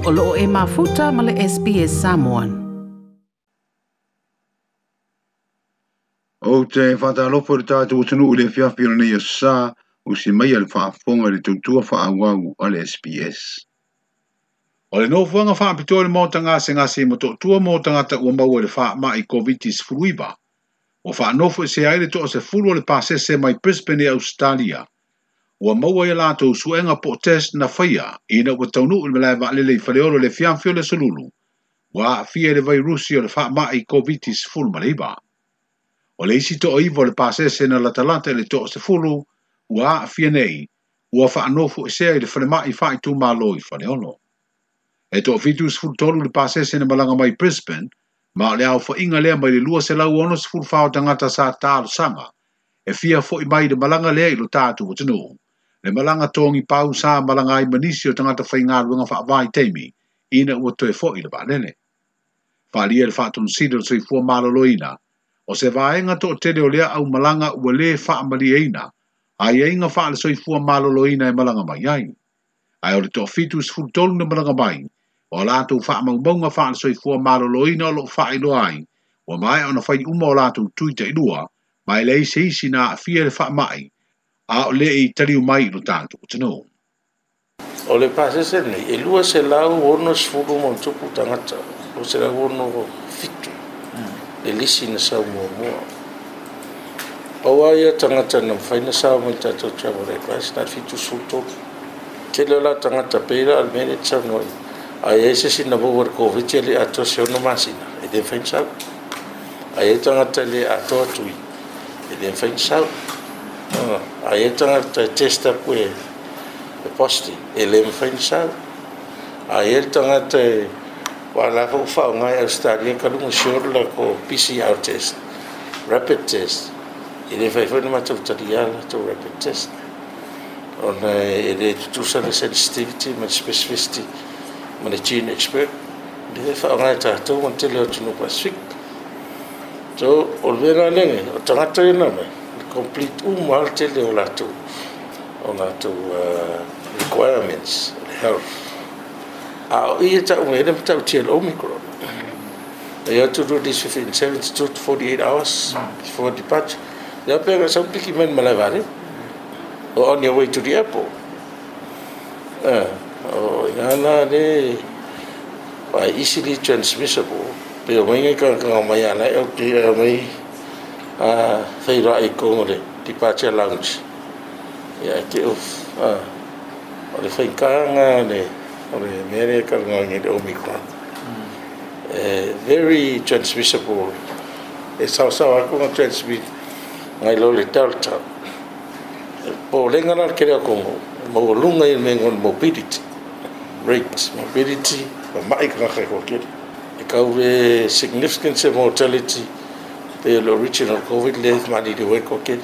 O loo e mafuta ma le SBS Samoan. Ou te faatalofa i le tatou atunuu i le afiafi o lenei aso Sa, usi maia le faafofoga i le tautua faaauau a le SBS. O le nofoaga faapitoa i le maota gasegase i Motootua mo tagata ua maua i le faamai Koviti-19, ua faanofoesea ai le toa-10 o le pasese mai Brisbane i Ausetalia, ua maua i a latou suega po o test na faia ina ua taunuu i le malae vaalele i Faleolo i le afiafi o le Aso Lulu, ua aafia i le vairusi o le faamai Koviti-19. O le isi toa-9 o le pasese na latalata i le toa-10 ua aafia nei, ua faanofoesea i le falemai faaitumalo i Faleolo. E toa-73 le pasese na malaga mai Brisbane, ma o le aofaiga lea mai le 264 o tagata sa talosaga e fia foi mai i le malaga lea i lo tatou atunuu. Le malaga togi pau sa malaga ai ma nisi o tagata faigaluega faavaitaimi ina ua toe foi le vaalele. Faaalia e le Faatonusili o le Soifua Maloloina, o se vaega toatele o lea aumalaga ua lē faamalieina aiaiga faale-soifua maloloina e malaga mai ai. Ae o le toa-73 na malaga mai, o a latou faamaumauga faale-soifua maloloina o lo o faailoa ai, ua maea ona fai uma o latou tui tailua, ma e leai se isi na aafia i le faamai, a o le i taliu mai i lo tatou atunuu. O le pasese lenei, e 260 ma ona tupu tagata, 267 le lisi na sau muamua. Pau lava ia tagata na mafai ona sao mai i le tatou travel advice, na o le 73. Tele o la tagata pei la o le mea lea e te saunoa i ai, a i ai se isi na maua i le Koviti e le i atoa se 6 masina, e le mafai ona sau. A i ai tagata e le atoa tui, e le mafai ona sau. A i ai tagata e test atu e positive, e le mafai ona sau. A i ai le tagata e aua o la foi ua faaaoga e Ausetalia talu ona short le latou PCR test, rapid test, e le mafai foi ona matou talia le latou rapid test ona e le tutusa le sensitivity ma le specificity ma le gene expert lea e faaaoga e tatou ma le tele o atunuu Pasefika. So, o le mea la lea, o tagata ia na aumai, e complete uma lava le tele o latou requirements o le health. A o i e tau mai ai le matautia o le Omicron. You have to do this within 72 to 48 hours before departure. Lea pe na sau piki mai le malae vaalele. Or on your way to the airport. O ina la le easily transmissible. Pe o mai ngai tagata mai ala e okay mai feiloai i totonu o le departure lounge. Ia e te o le faigata lena o le mea lea e talanoa nei i le Omicron. Very transmissible. E saosaoa atu ona transmit nai lo le Delta. E popolega la le tele o atunuu, maualuga i le mea o le morbidity rate, morbidity, mamai tagata e toatele. E tau le significant se mortality pei o le original Covid lea e maliliu ai le toatele.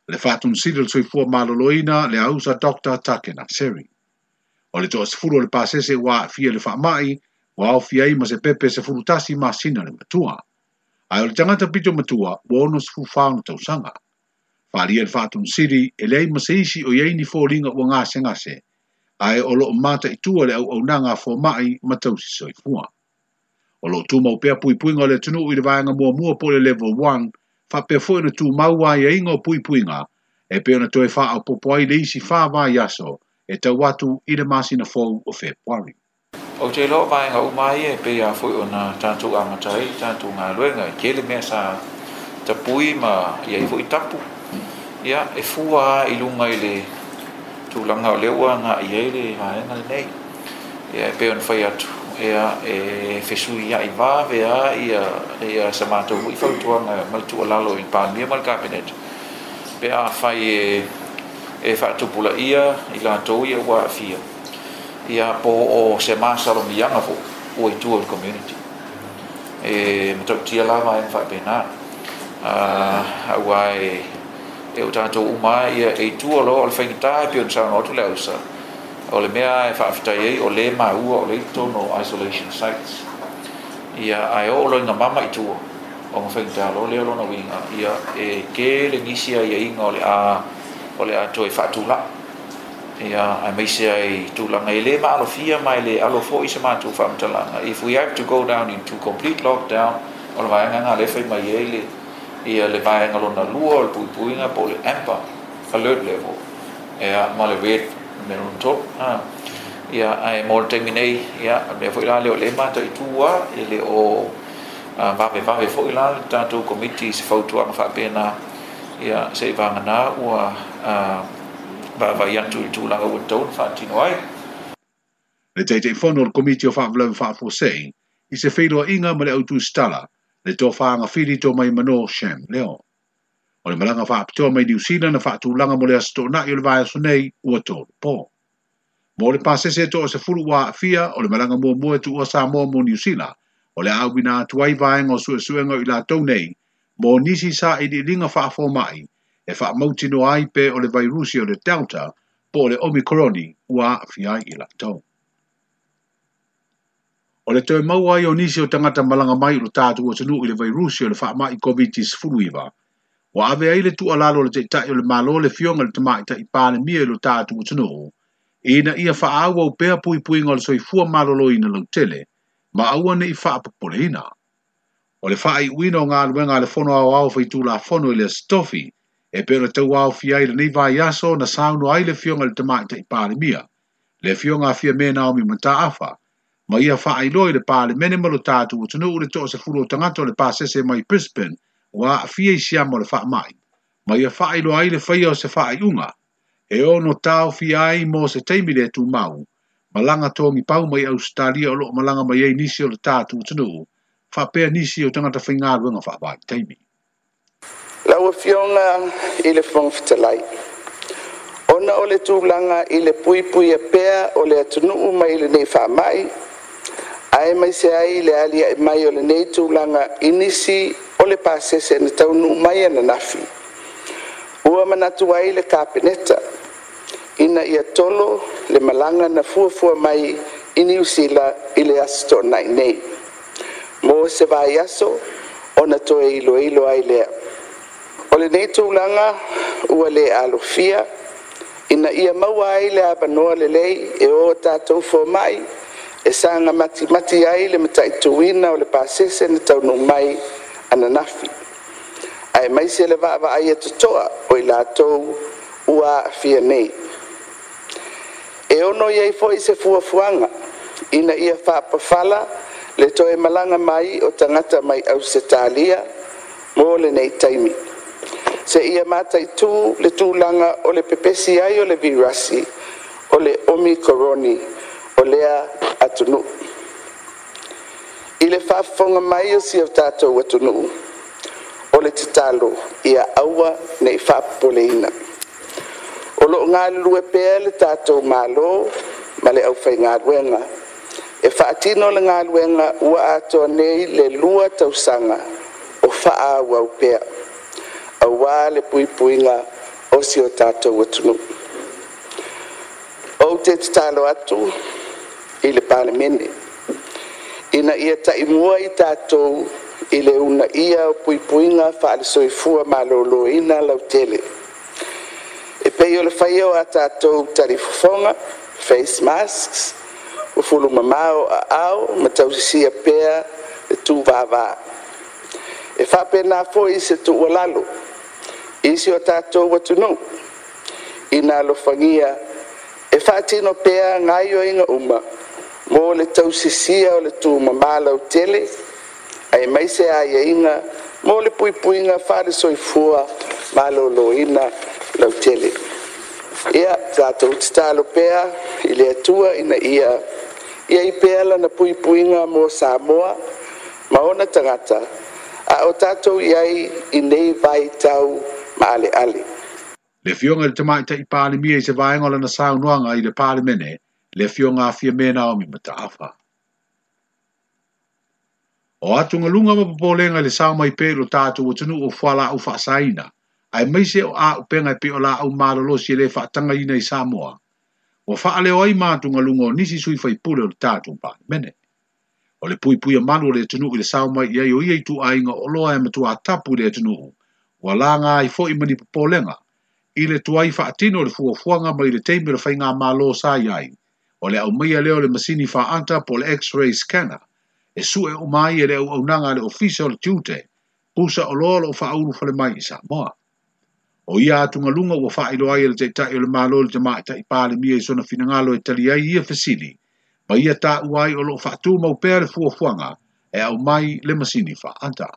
Le Faatonusili o le Soifua Maloloina, le ausa Dr. Takena Seri. O le toa-10 o le pasese ua aafia i le faamai, ua aofia ai ma se pepe 11 masina le matua. Ae o le tagata pito matua ua 64 ona tausaga. Faaalia e le Faatonusili, e leai ma se isi o i ai ni foliga ua gasegase, ae o lo o mataitua le auaunaga a fomai ma tausi soifua. O lo o tumau pea puipuiga o le atunuu i le vaega muamua po o le Level 1, faapea foi ona tumau aiaiga o puipuiga e pei ona toe faaopoopo ai le isi 4 vaiaso e tau atu i le masina fou o Fepuari. Ou te iloa o vaega uma ia e pei lava foi ona tatou amata ai le tatou galuega, e tele mea sa tapui ma i ai foi tapu. Ia, e fua lava i luga i le tulaga o lea ua agai i ai le vaega lenei. Ia, e pei ona fai atu, ia, e fesuiai vave lava ia sa matou foi fautuaga ma le tuualalo i le Palemia ma le Kapeneta, pe afai e faatupulaia i latou ia ua aafia, ia po o se masalomiaga foi ua i tua i le community. E matautia la vaega faapena, aua e o tatou uma ia e i tua loa o le faigata e pei ona saunoa atu le ausa, o le mea e faafetai ai o lea maua o lea i totonu o isolation sites. Ia, ae oo loa ina mama i tua, ona faigata loa lea o lona uiga, ia e tele nisi aiaiga o le a toe faatulai. Ia, aemaise ai i tulaga e le maalofia ma e le alo foi se matou faamatalaga, if we have to go down into complete lockdown, o le vaega lena lea e fai mai ai le, ia le vaega lona lua o le puipuiga po o le amber alert level, ia, ma le red le mea lona tolu. A, ia, ae mo le taimi nei, ia, o le mea foi la lea o lea e mataitu lava, e le o vavevave foi la le tatou Komiti i se fautuaga faapena, ia, seivagana ua vaavaai atu i le tulaga ua tatau ona faatino ai. Le Taitaifono o le Komiti o Faalavelave Faafuasei i se feiloaiga ma le au tusitala, le Tofa Agafili Tomaimano Shem Leo. O le malaga faapitoa mai Niu Sila na faatulaga mo le Aso Toonai o le vaiaso nei ua tolu po. Mo le pasese e 30 ua aafia, o le malaga muamua e tuua Samoa mo Niu Sila, o le a auina atu ai vaega o suesuega o i latou nei mo nisi sailiiliga faafomai e faamautinoa ai pe o le vairusi o le Delta po o le Omikoroni ua aafia ai i latou. O le toe maua ai o nisi o tagata malaga mai i lo tatou atunuu i le vairusi o le faamai Koviti-19, ua ave ai le tuualalo a le Taitai o le Malo le Afioga i le Tamaitai Palemia i lo tatou atunuu, ina ia faaauau pea puipuiga o le soifua maloloina lautele ma aua ne i faapopoleina. O le faaiuina o galuega a le Fono Aoao Faitulafono i le Aso Tofi, e pei ona tauaofia ai lenei vaiaso na saunoa ai le Afioga i le Tamaitai Palemia, le Afioga a Fiame Naomi Mataafa, ma ia faailoa i le Palemene ma lo tatou atunuu le 30 o tagata o le pasese mai Brisbane ua aafia i siama o le faamai, ma ia faailoa ai le faia o se faaiuga e ono taofia ai mo se taimi le tumau, malaga togipau mai Ausetalia o loo malaga mai ai nisi o le tatou atunuu, faapea nisi o tagata faigaluega faavaitaimi. Lau Afioga i le Fofoga Fetalai, ona o le tulaga i le puipuia pea o le atunuu mai lenei faamai, aemaise ai le aliae mai o lenei tulaga i nisi o le pasese na taunuu mai ananafi, ua manatu ai le Kapeneta ina ia tolo le malaga na fuafua mai i Niu Sila i le Aso Toonai nei, mo se vaiaso ona toe iloilo ai lea. O lenei tulaga ua le alofia, ina ia maua ai le avanoa lelei e o tatou fomai e saga matimati ai le mataituina o le pasese na taunuu mai ananafi, aemaise le vaavaaia totoa o i latou ua aafia nei. E ono i ai foi se fuafuaga ina ia faapafala le toe malaga mai o tagata mai Ausetalia mo lenei taimi, seia mataitu le tulaga o le pepesi ai o le virasi o le Omikoroni o lea atunuu. I le faafofoga mai o si o tatou atunuu, o le tatalo ia aua ne i faapopoleina. O lo o galulue pea le tatou Malo ma le aufaigaluega e faatino le galuega ua atoa nei le 2 tausaga o faaauau pea, aua le puipuiga o si o tatou atunuu. Ou te tatalo atu i le Palemene, ina ia taimua i tatou i le uunaia o puipuiga faale-soifua maloloina lautele, e pei o le faia o a tatou talifofoga, face masks, fufulu mama ou aao ma tausisia pea le tuvava. E faapena foi se tuualalo i si o tatou atunuu, ina alofagia e faatino pea gaoioiga uma mo le tausisia o le tumama lautele, aemaise aiaiga mo le puipuiga faale-soifua maloloina lautele. Ia tatou tatalo pea i le Atua ina ia i ai pea Lana puipuiga mo Samoa ma ona tagata, a o tatou i ai i nei vaitau maaleale. Le Afioga i le Tamaitai Palemia i se vaega o lana saunoaga i le Palemene, le Afioga a Fiame Naomi Mataafa. O atugaluga ma popolega i le sao mai pea i lo tatou atunuu o fualaau faasaina, aemaise o auupega e pei o laau malolosi e le faatagaina i Samoa, ua faaleo ai ma atugaluga o nisi sui faipule o le tatou Palemene. O le puipuia malu o le atunuu i le sao mai i ai o ia ituaiga oloa e matua tapu i le atunuu, ua laga ai foi ma ni popolega, I le tuai faatino o le fuafuaga mai le taimi o le faigamalo sa i ai, o le aumaia lea o le masini faaata po o le X-ray scanner e sue uma ai e le auaunaga a le Ofisa o le Tiute pusa oloa o lo o faaulufale mai i Samoa. O ia atugaluga ua faailoa ai e le Taitai o le Malo i le Tamaitai Palemia i sona finagalo e tali ai ia fesili ma ia taua ai o lo o faatumau pea le fuafuaga e aumai le masini faaata.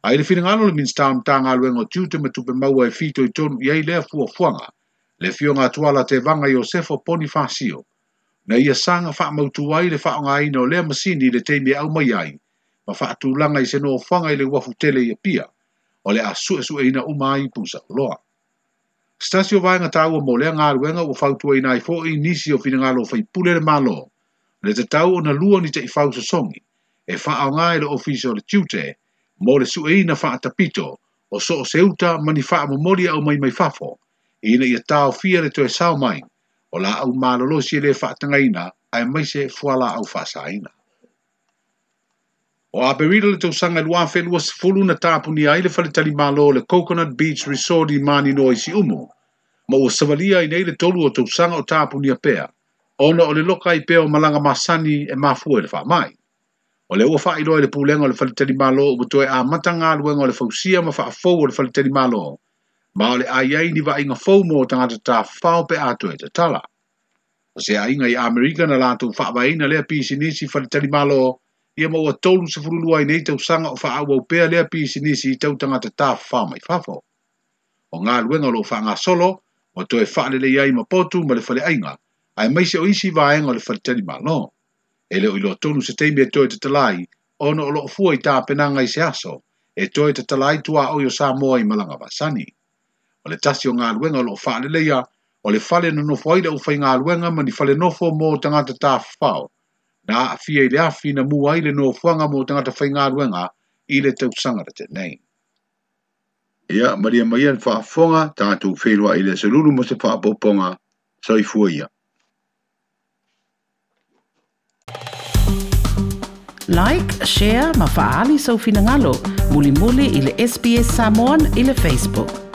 Ae i le finagalo o le Minisita o Matagaluega o Tiute ma Tupe Maua e fitoitonu i ai lea fuafuaga, le Afioga a Tuala Tevaga Iosefo Ponifasio, na ia saga faamautu ai le faaaogaina o lea masini i le taimi e aumai ai ma faatulaga i se nofoaga i le uafu tele i Apia, o le a suesueina uma ai pusa oloa. Se tasi o vaega taua mo lea galuega ua fautuaina ai foi nisi o finagalo o faipule le Malo, le tatau ona lua ni taifau sosogi e faaaoga e le Ofisa o le Tiute mo le sueina faatapito o so o se uta ma ni faamomoli e aumai mai fafo, ina ia taofia le toe sao mai o laau malolosi e le faatagaina aemaise fualaau faasaina. O Aperila le tausaga 2020 na tapunia ai le faletalimalo o le Coconut Beach Resort i Maninoa i Siumu, ma ua savalia ai nei le tolu o tausaga o tapunia pea, ona o le loka ai pea o malaga masani e mafua i le faamai. O lea ua faailoa e le pulega o le faletalimalo ua toe amata galuega o le fausia ma faafou o le faletalimalo, ma o le a i ai ni vaaiga fou mo tagata tafafao pe a toe tatala. O se aiga i Amerika na latou faavaeina lea pisinisi faletalimalo, ia ma ua 32 ai nei tausaga o faaauau pea lea pisinisi i tau tagata tafafao mai fafo. O galuega o lo o faagasolo, ua toe faalelei ai ma potu ma le faleaiga, aemaise o isi vaega o le faletalimalo. E le o iloa tonu se taimi e toe tatala ai, ona o lo o fua i tapenaga i se aso, e toe tatala ai tuaoi o Samoa i malaga masani. O le tasi o galuega o lo o faaleleia, o le fale nonofo ai le aufaigaluega ma ni fale nofo mo tagata tafafao, na aafia i le afi na mua ai le nofoaga mo tagata faigaluega i le tausaga na tea nei. Ia, malie maia le faafofoga, tatou feiloai i le aso Lulu mo se faaopoopoga. Soifua ia. Like, share ma faaali sou finagalo mulimuli i le SBS Samoan i le Facebook.